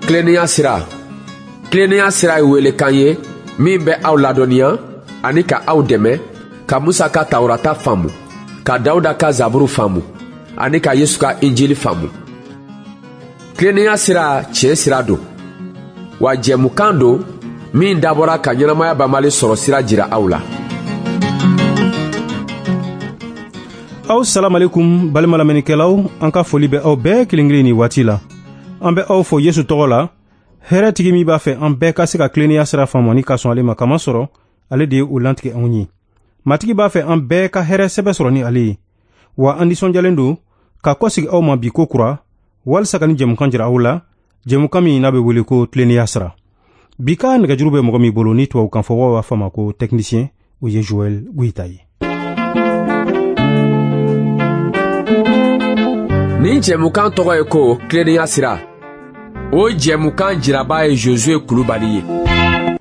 Tilennenya sira. Tilennenya sira ye welekan ye min bɛ aw ladɔnniya ani ka aw dɛmɛ ka Musa ka Tawurata faamu, ka Dawuda ka Zaburu faamu ani ka Yesu ka Injili faamu. Tilennenya sira tiɲɛ sira don, wa jɛmukan don min dabɔra ka ɲɛnamaya banbali sɔrɔ sira jira aw la. Aw salamalekum balima lamɛnnikɛlaw, an ka foli bɛ aw bɛɛ kelen kelen nin waati la. An bɛ aw fo Yesu tɔgɔ la, hɛrɛtigi min b'a fɛ an bɛɛ ka se ka tilennenya sira faamu ani ka sɔn ale ma, kamasɔrɔ ale de ye o lantigɛ anw ye. Matigi b'a fɛ an bɛɛ ka hɛrɛ sɛbɛ sɔrɔ ni ale ye. Wa an nisɔndiyalen don ka kɔsegi aw ma bi ko kura, walisa ka ni jɛmukan jira aw la, jɛmukan min n'a bɛ wele ko tilennenya sira. Bi ka nɛgɛjuru bɛ mɔgɔ min bolo ni tubabukan fɔbagaw b'a fɔ a ma ko technicien, o ye Joël Goyita ye. Nin jɛmukan tɔgɔ ye ko tilennenya sira. O jɛmukan jiraba ye Josue Kulubali ye.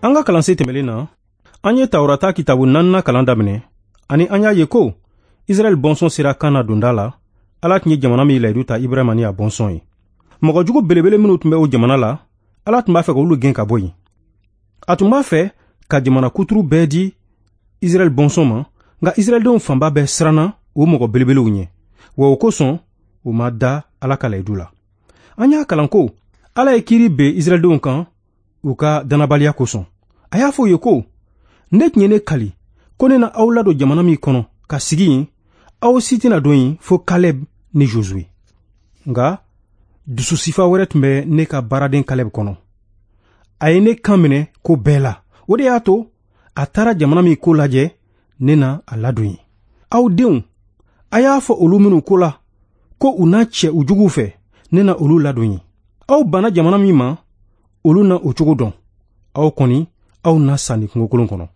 An ka kalansen tɛmɛlen na, an ye Tawurata kitabu naaninan kalan daminɛ, ani an y'a ye ko Israɛl bɔnsɔn sera Kana donda la, Ala tun ye jamana min layidu ta Ibrahima ni a bɔnsɔn ye. Mɔgɔ jugu belebele minnu tun bɛ o jamana la, Ala tun b'a fɛ k'olu gɛn ka bɔ yen. A tun b'a fɛ ka jamana kuturu bɛɛ di Israɛl bɔnsɔn ma, nka Israɛldenw fanba bɛɛ siranna o mɔgɔ belebelew ɲɛ, wa o kosɔn u ma da Ala ka layidu la. An y'a kalan ko Ala ye kiiri ben Israɛldenw kan u ka dannabaliya kosɔn. A y'a fɔ u ye ko ne tun ye ne kali ko ne na aw ladon jamana min kɔnɔ ka sigi yen, aw si tɛna don yen fo Kaleb ni Josue. Nka dusu sifa wɛrɛ tun bɛ ne ka baaraden Kaleb kɔnɔ. A ye ne kan minɛ ko bɛɛ la. O de y'a to a taara jamana min ko lajɛ, ne na a ladon yen. Aw denw, a y'a fɔ olu minnu ko la ko u na cɛ u juguw fɛ, ne na olu ladon yen. Aw banna jamana min ma, olu na o cogo dɔn. Aw kɔni, aw na sa nin kungokolon kɔnɔ.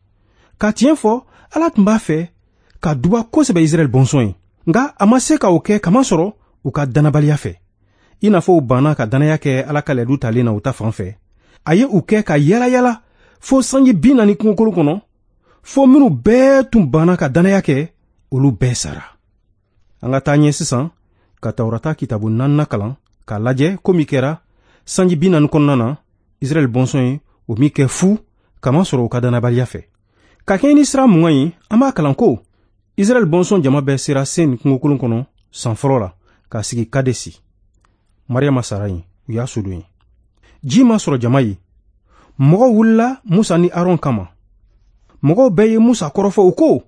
Ka tiɲɛ fɔ, Ala tun b'a fɛ ka duba kosɛbɛ Israɛl bɔnsɔn ye, nka a ma se ka o kɛ kamasɔrɔ u ka dannabaliya fɛ. I n'a fɔ u banna ka dannaya kɛ Ala ka layidu talen na u ta fan fɛ, a ye u kɛ ka yala yala fo sanji 40 kungokolon kɔnɔ, fo minnu bɛɛ tun banna ka dannaya kɛ, olu bɛɛ sara. An ka taa ɲɛ sisan ka Tawurata kitabu naaninan kalan k'a lajɛ ko min kɛra sanji 40 kɔnɔna na Israɛl bɔnsɔn ye o min kɛ fu kamasɔrɔ u ka dannabaliya fɛ. Ka kɛɲɛ ni sira 20 ye, an b'a kalan ko Israɛl bɔnsɔn jama bɛɛ sera Sen kungokolon kɔnɔ san fɔlɔ la k'a sigi Kadesi. Mariyama sara yen, u y'a sodon yen. Ji ma sɔrɔ jama ye. Mɔgɔw wulila Musa ni Aron kama. Mɔgɔw bɛɛ ye Musa kɔrɔfɔ, u ko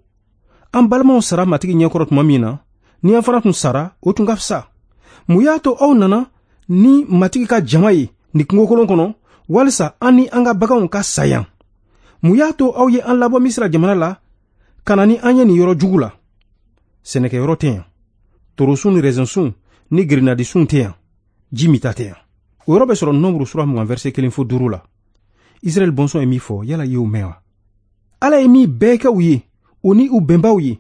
an balimaw sara Matigi ɲɛkɔrɔ tuma min na, ni an fana tun sara, o tun ka fisa. Mun y'a to aw nana ni Matigi ka jama ye nin kungokolon kɔnɔ, walisa an ni an ka baganw ka sa yan? Mun y'a to aw ye an labɔ Misira jamana la ka na ni an ye nin yɔrɔ jugu la? Sɛnɛkɛyɔrɔ tɛ yan, torosun ni rɛzɛnsun ni grenadisun tɛ yan, ji mita tɛ yan. O yɔrɔ bɛ sɔrɔ Nombre sura 20 verset 1 fo 5 la. Israɛl bɔnsɔn ye min fɔ, yala i y'o mɛn wa? Ala ye min bɛɛ kɛ u ye, o ni u bɛnbaw ye,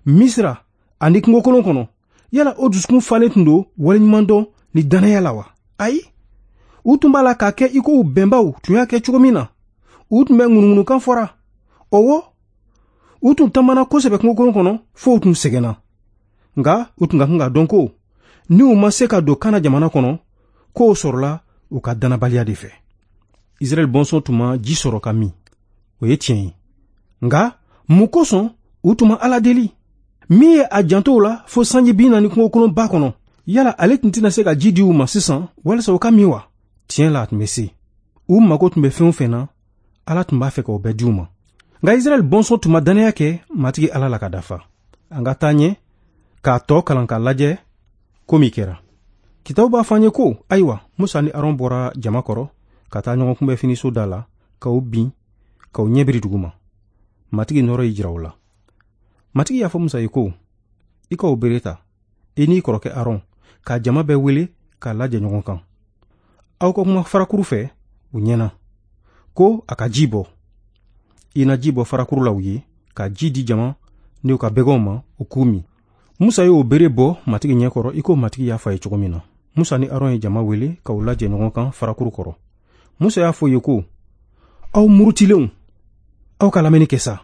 Misira ani kungokolon kɔnɔ, yala o dusukun falen tun don waleɲumandɔn ni dannaya la wa? Ayi, u tun b'a la k'a kɛ i ko u bɛnbaw tun y'a kɛ cogo min na. U tun bɛ ŋunuŋunukan fɔra. Ɔwɔ, u tun taamana kosɛbɛ kungokolon kɔnɔ fo u tun sɛgɛnna. Nka u tun ka kan k'a dɔn ko ni u ma se ka don Kana jamana kɔnɔ, k'o sɔrɔla u ka dannabaliya de fɛ. Israɛl bɔnsɔn tun ma ji sɔrɔ ka min, o ye tiɲɛ ye. Nka mun kosɔn u tun ma Ala deli? Min ye a janto u la fo sanji 40 kungokolonba kɔnɔ, yala ale tun tɛna se ka ji di u ma sisan walisa u ka min wa? Tiɲɛ la, a tun bɛ se. U mago tun bɛ fɛn o fɛn na, Ala tun b'a fɛ k'o bɛɛ di u ma. Nka Israɛl bɔnsɔn tun ma dannaya kɛ Matigi Ala la ka dafa. An ka taa ɲɛ k'a tɔ kalan k'a lajɛ ko min kɛra. Kitabu b'a fɔ an ye ko ayiwa, Musa ni Aron bɔra jama kɔrɔ ka taa ɲɔgɔn kunbɛ finiso da la, k'u bin, k'u ɲɛ biri dugu ma. Matigi nɔɔrɔ y'i jira u la. Matigi y'a fɔ Musa ye ko i ka o bere ta, i n'i kɔrɔkɛ Aron, ka jama bɛɛ wele k'a lajɛ ɲɔgɔn kan. Aw ka kuma farakuru fɛ u ɲɛna ko a ka ji bɔ. I na ji bɔ farakuru la u ye, ka ji di jama ni u ka bɛgɛnw ma, u k'u min. Musa y'o bere bɔ Matigi ɲɛkɔrɔ i ko Matigi y'a fɔ a ye cogo min na. Musa ni Aron ye jama wele k'u lajɛ ɲɔgɔn kan farakuru kɔrɔ. Musa y'a fɔ u ye ko aw murutilenw, aw ka lamɛnni kɛ sa.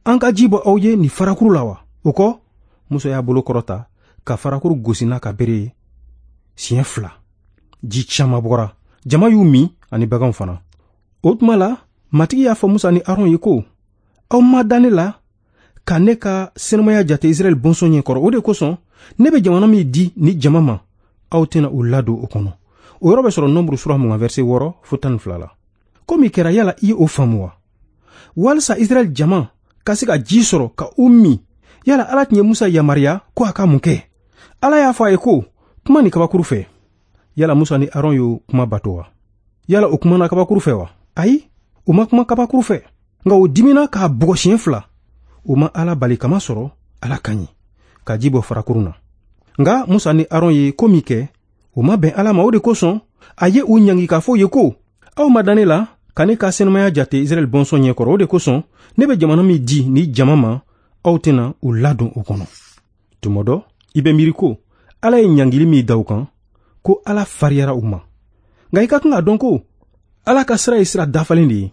An ka ji bɔ aw ye nin farakuru la wa? O kɔ, Musa y'a bolo kɔrɔta ka farakuru gosi n'a ka bere ye siɲɛ 2. Ji caman bɔra. Jama y'u min ani baganw fana. O tuma la, Matigi y'a fɔ Musa ni Aron ye ko, aw ma da ne la ka ne ka senumaya jate Israɛl bɔnsɔn ɲɛkɔrɔ. O de kosɔn, ne bɛ jamana min di ni jama ma, aw tɛna u ladon o kɔnɔ. O yɔrɔ bɛ sɔrɔ Nɔnburu sura 20 verset 6 fo 12 la. Ko min kɛra, yala i ye o faamu wa? Walisa Israɛl jama ka se ka ji sɔrɔ ka u min, yala Ala tun ye Musa yamaruya ko a ka mun kɛ? Ala y'a fɔ a ye ko, kuma ni kabakuru fɛ. Yala Musa ni Aron y'o kuma bato wa? Yala o kumana kabakuru fɛ wa? Ayi, u ma kuma kabakuru fɛ. Nka o dimina k'a bugɔ siɲɛ 2. O ma Ala bali kama sɔrɔ Ala ka ɲi, ka ji bɔ farakurun na. Nka Musa ni Aron ye ko min kɛ, o ma bɛn Ala ma. O de kosɔn, a ye u ɲangi k'a fɔ u ye ko, aw ma da ne la ka ne ka senumaya jate Israɛl bɔnsɔn ɲɛkɔrɔ. O de kosɔn, ne bɛ jamana min di ni jama ma, aw tɛna u ladon o kɔnɔ. Tuma dɔ, i bɛ miiri ko Ala ye ɲangili min da u kan, ko Ala fariyara u ma. Nka i ka kan k'a dɔn ko Ala ka sira ye sira dafalen de ye.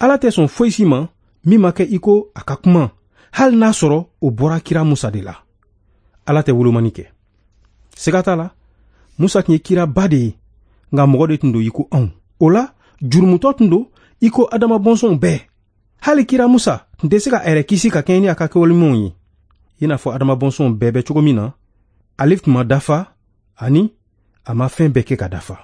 Ala tɛ sɔn foyi si ma min ma kɛ i ko a ka kuma, hali n'a sɔrɔ o bɔra kira Musa de la. Ala tɛ wolomani kɛ. Siga t'a la, Musa tun ye kiraba de ye, nka mɔgɔ de tun don i ko anw. O la, jurumutɔ tun don i ko Adama bɔnsɔnw bɛɛ. Hali kira Musa tun tɛ se ka a yɛrɛ kisi ka kɛɲɛ ni a ka kɛwale ɲumanw ye. I n'a fɔ Adama bɔnsɔnw bɛɛ bɛ cogo min na, ale tun ma dafa ani a ma fɛn bɛɛ kɛ ka dafa.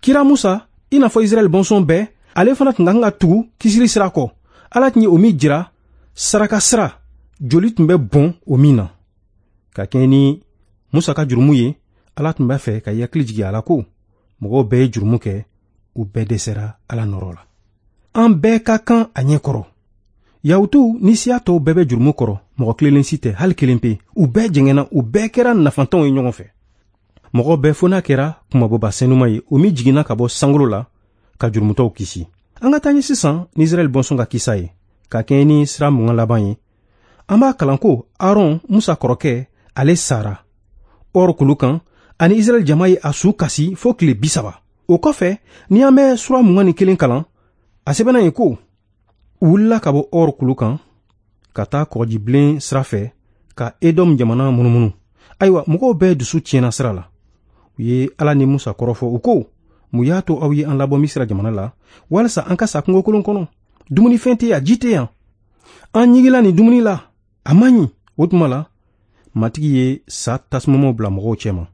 Kira Musa, i n'a fɔ Israɛl bɔnsɔn bɛɛ, ale fana tun ka kan ka tugu kisili sira kɔ. Ala tun ye o min jira, saraka sira, joli tun bɛ bɔn o min na. Ka kɛɲɛ ni Musa ka jurumu ye, Ala tun b'a fɛ ka hakili jigin a la ko mɔgɔw bɛɛ ye jurumu kɛ, u bɛɛ dɛsɛra Ala nɔrɔ la. An bɛɛ ka kan a ɲɛ kɔrɔ. Yahutuw ni siya tɔw bɛɛ bɛ jurumu kɔrɔ, mɔgɔ kelenlen si tɛ, hali kelen pe. U bɛɛ jɛngɛnna, u bɛɛ kɛra nafantanw ye ɲɔgɔn fɛ. Mɔgɔ bɛɛ fo n'a kɛra kunmabɔba senuma ye, o min jiginna ka bɔ sankolo la ka jurumutɔw kisi. An ka taa ɲɛ sisan ni Israɛl bɔnsɔn ka kisa ye, ka kɛɲɛ ni sira 20 laban ye. An b'a kalan ko Aron, Musa kɔrɔkɛ, ale sara Ɔr kulu kan, ani Israɛl jama ye a su kasi fo tile 30. O kɔfɛ, ni an bɛ sura 21 kalan, a sɛbɛnna yen ko, u wulila ka bɔ Ɔr kulu kan ka taa kɔgɔjibilen sira fɛ ka Edɔm jamana munumunu. Ayiwa, mɔgɔw bɛɛ dusu tiɲɛna sira la. U ye Ala ni Musa kɔrɔfɔ, u ko, mun y'a to aw ye an labɔ Misira jamana la, walisa an ka sa kungokolon kɔnɔ? Dumunifɛn tɛ yan, ji tɛ yan. An ɲigila nin dumuni la, a man ɲi. O tuma la, Matigi ye sa tasumamaw bila mɔgɔw cɛma.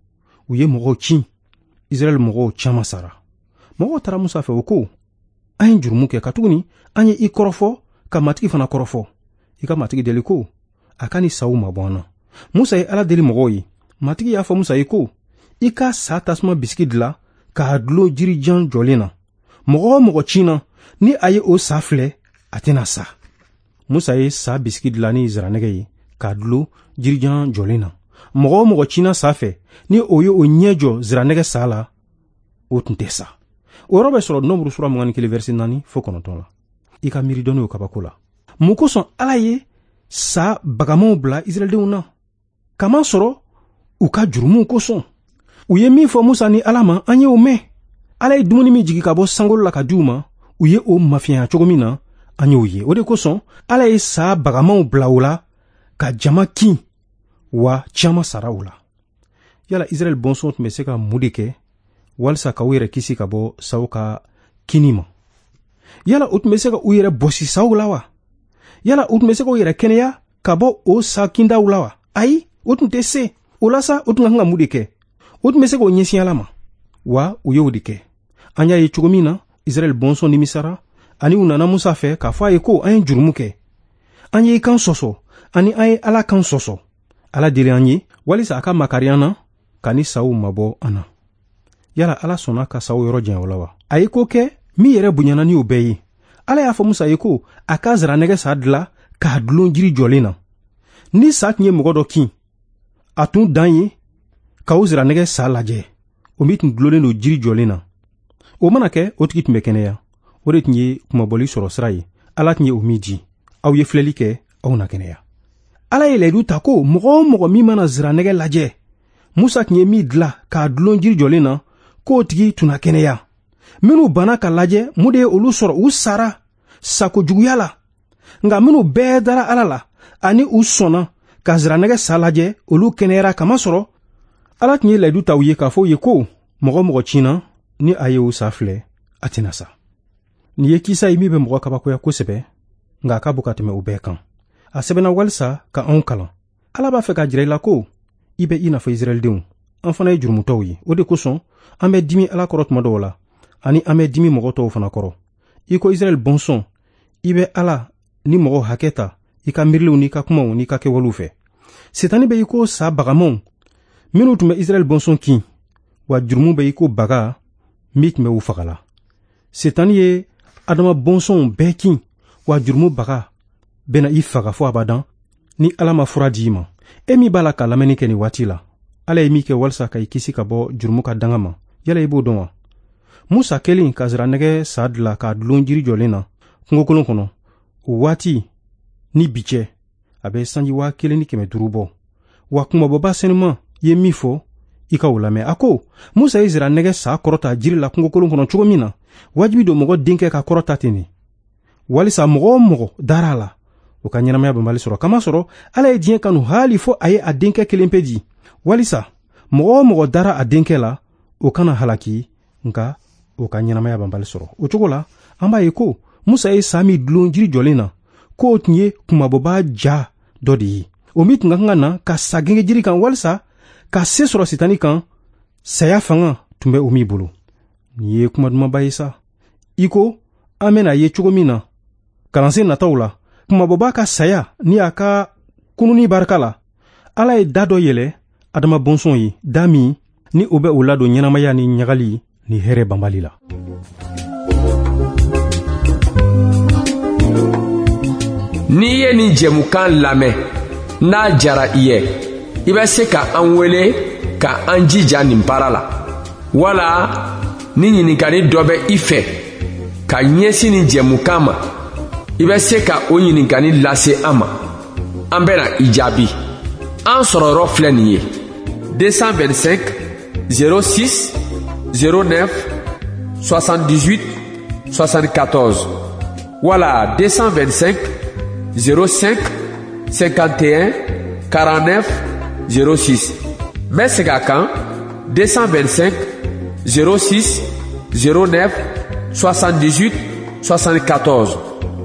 U ye mɔgɔw cin. Israɛl mɔgɔw caman sara. Mɔgɔw taara Musa fɛ, u ko, an ye jurumu kɛ, katuguni an ye i kɔrɔfɔ ka Matigi fana kɔrɔfɔ. I ka Matigi deli ko a ka ni saw mabɔ an na. Musa ye Ala deli mɔgɔw ye. Matigi y'a fɔ Musa ye ko, i ka sa tasuma bisigi dilan k'a dulon jirijan jɔlen na. Mɔgɔ o mɔgɔ cinna, ni a ye o sa filɛ, a tɛna sa. Musa ye sa bisigi dilan ni ziranɛgɛ ye k'a dulon jirijan jɔlen na. Mɔgɔ o mɔgɔ cinna sa fɛ, ni o ye o ɲɛ jɔ ziranɛgɛ sa la, o tun tɛ sa. O yɔrɔ bɛ sɔrɔ Nɔnburu sura 21 verset 4 fo 9 la. I ka miiri dɔɔni o kabako la. Mun kosɔn Ala ye sa bagamanw bila Israɛldenw na? Kama sɔrɔ u ka jurumuw kosɔn. U ye min fɔ Musa ni Ala ma, an ye o mɛn. Ala ye dumuni min jigin ka bɔ sankolo la ka di u ma, u ye o mafiɲɛya cogo min na, an y'o ye. O de kosɔn Ala ye sa bagamanw bila u la ka jama kin, wa caman sara u la. Yala Israɛl bɔnsɔn tun bɛ se ka mun de kɛ walisa ka u yɛrɛ kisi ka bɔ saw ka kinni ma? Yala u tun bɛ se ka u yɛrɛ bɔsi saw la wa? Yala u tun bɛ se ka u yɛrɛ kɛnɛya ka bɔ o sa kindaw la wa? Ayi, u tun tɛ se. O la sa, u tun ka kan ka mun de kɛ? U tun bɛ se k'o ɲɛsin Ala ma, wa u y'o de kɛ. An y'a ye cogo min na, Israɛl bɔnsɔn nimisara, ani u nana Musa fɛ k'a fɔ a ye ko an ye jurumu kɛ. An ye i kan sɔsɔ, ani an ye Ala kan sɔsɔ. Ala deli an ye walisa a ka makari an na ka ni saw mabɔ an na. Yala Ala sɔnna ka saw yɔrɔ janya o la wa? A ye ko kɛ min yɛrɛ bonyana ni o bɛɛ ye. Ala y'a fɔ Musa ye ko a ka ziranɛgɛ sa dilan k'a dulon jiri jɔlen na. Ni sa tun ye mɔgɔ dɔ kin, a tun dan ye ka o ziranɛgɛ sa lajɛ, o min tun dulonnen don jiri jɔlen na. O mana kɛ, o tigi tun bɛ kɛnɛya. O de tun ye kunmabɔli sɔrɔ sira ye. Ala tun ye o min di. Aw ye filɛli kɛ, aw na kɛnɛya. Ala ye layidu ta ko mɔgɔ o mɔgɔ min mana ziranɛgɛ lajɛ, Musa tun ye min dilan k'a dulon jiri jɔlen na, k'o tigi tun na kɛnɛya. Minnu banna ka lajɛ, mun de ye olu sɔrɔ? U sara sako juguya la. Nka minnu bɛɛ dara Ala la ani u sɔnna ka ziranɛgɛ sa lajɛ, olu kɛnɛyara kamasɔrɔ Ala tun ye layidu ta u ye k'a fɔ u ye ko mɔgɔ o mɔgɔ cinna, Ni a ye o sa filɛ, a tɛna sa. Nin ye kisa ye min bɛ mɔgɔ kabakoya kosɛbɛ, nka a ka bon ka tɛmɛ o bɛɛ kan. A sɛbɛnna walisa ka anw kalan. Ala b'a fɛ k'a jira i la ko i bɛ i n'a fɔ Israɛldenw. An fana ye jurumutɔw ye. O de kosɔn an bɛ dimi Ala kɔrɔ tuma dɔw la, ani an bɛ dimi mɔgɔ tɔw fana kɔrɔ. I ko Israɛl bɔnsɔn, i bɛ Ala ni mɔgɔ hakɛ ta i ka miiriliw n'i ka kumaw n'i ka kɛwalew fɛ. Setani bɛ i ko sa bagamanw minnu tun bɛ Israɛl bɔnsɔn kin, wa jurumu bɛ i ko baga min tun bɛ u fagala. Setani ye Adama bɔnsɔnw bɛɛ kin, wa jurumu baga bɛna i faga fo abadan ni Ala ma fura di i ma. E min b'a la ka lamɛnni kɛ nin waati la, Ala ye min kɛ walisa ka i kisi ka bɔ jurumu ka danga ma, yala i b'o dɔn wa? Musa kɛlen ka nsiranɛgɛ sa dilan k'a dulon jiri jɔlen na kungokolon kɔnɔ, o waati ni bi cɛ, a bɛ sanji 1500 bɔ. Wa kunmabɔba senuman ye min fɔ, i ka o lamɛn. A ko Musa ye nsiranɛgɛ sa kɔrɔta jiri la kungokolon kɔnɔ cogo min na, wajibi don mɔgɔ denkɛ ka kɔrɔta ten de, walisa mɔgɔ o mɔgɔ dara a la, o ka ɲɛnamaya banbali sɔrɔ. Kamasɔrɔ Ala ye diɲɛ kanu haali fo a ye a denkɛ kelen pe di, walisa mɔgɔ o mɔgɔ dara a denkɛ la, o kana halaki, nka o ka ɲɛnamaya banbali sɔrɔ. O cogo la, an b'a ye ko Musa ye sa min dulon jiri jɔlen na, k'o tun ye kunmabɔba ja dɔ de ye, o min tun ka kan ka na ka sa genge jiri kan walisa ka se sɔrɔ Sitani kan, saya fanga tun bɛ o min bolo. Nin ye kuma dumanba ye sa. I ko an bɛna ye cogo min na kalansen nataw la, kunmabɔba ka saya ni a ka kununni barika la, Ala ye da dɔ yɛlɛ Adama bɔnsɔn ye, da min ni o bɛ o ladon ɲɛnamaya ni ɲagali ni hɛrɛ banbali la. N'i ye nin jɛmukan lamɛn, n'a jara i ye, i bɛ se ka an wele ka an jija nin baara la, wala ni ɲininkali dɔ bɛ i fɛ ka ɲɛsin nin jɛmukan ma, i bɛ se ka o ɲininkali lase an ma. An bɛna i jaabi. An sɔrɔ yɔrɔ filɛ nin ye: 225 06 09 78 74 wala 225 05 51 49 06. N bɛ segin a kan: 225 06 09 78 74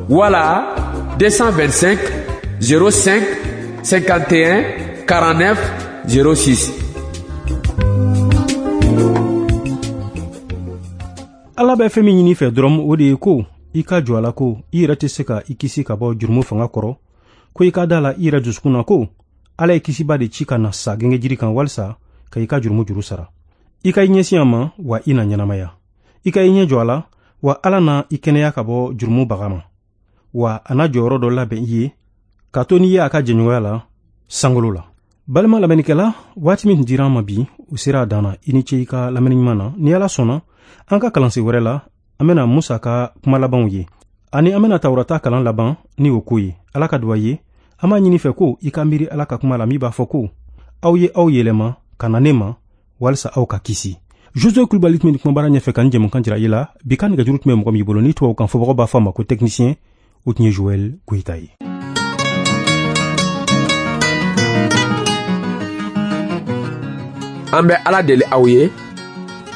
wala 225 05 51 49 06. Ala bɛ fɛn min ɲini fɛ dɔrɔn, o de ye ko i ka jɔ a la ko i yɛrɛ tɛ se ka i kisi ka bɔ jurumu fanga kɔrɔ, ko i ka da la i yɛrɛ dusukun na ko Ala ye kisiba de ci ka na sa genge jiri kan walisa ka i ka jurumu juru sara. I ka i ɲɛsin a ma, wa i na ɲɛnamaya. I ka i ɲɛ jɔ a la, wa Ala na i kɛnɛya ka bɔ jurumu baga ma, wa a na jɔyɔrɔ dɔ labɛn i ye ka to n'i ye a ka jɛɲɔgɔnya la sankolo la. Balima lamɛnnikɛla, waati min dira an ma bi, o sera a dan na. I ni ce i ka lamɛnni ɲuman na. Ni Ala sɔnna, an ka kalansen wɛrɛ la, an bɛna Musa ka kuma labanw ye, ani an bɛna Tawurata kalan laban ni o ko ye. Ala ka duwa ye. An b'a ɲini fɛ ko i ka miiri Ala ka kuma la min b'a fɔ ko aw ye aw yɛlɛma ka na ne ma walisa aw ka kisi. Josue Kulibali tun bɛ kumabara ɲɛfɛ ka ni jɛmukan jira i la. Bi ka nɛgɛjuru tun bɛ mɔgɔ min bolo, ni tubabukan fɔbagaw b'a fɔ a ma ko technicien, o tun ye Joël Goyita ye. An bɛ Ala deli aw ye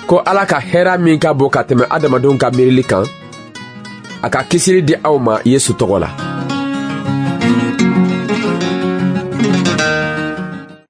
ko Ala ka hɛrɛ min ka bon ka tɛmɛ adamadenw ka miirili kan, a ka kisili di aw ma Yesu tɔgɔ la.